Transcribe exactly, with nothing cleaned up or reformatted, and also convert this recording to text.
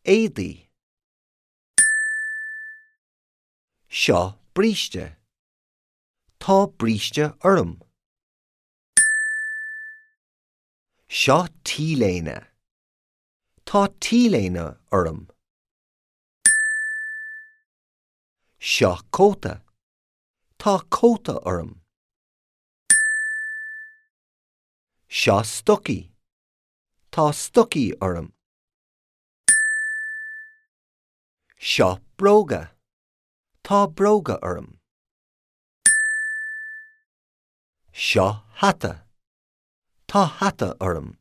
Éadaí. Seo bríste. Tá bríste orm. Seo T-léine. Tá T-léine orm. Seo cóta. Tá cóta orm. Seo stocaí. Tá stocaí orm. Seo bróga. Tá bróga orm. Seo hata. Tá hata orm.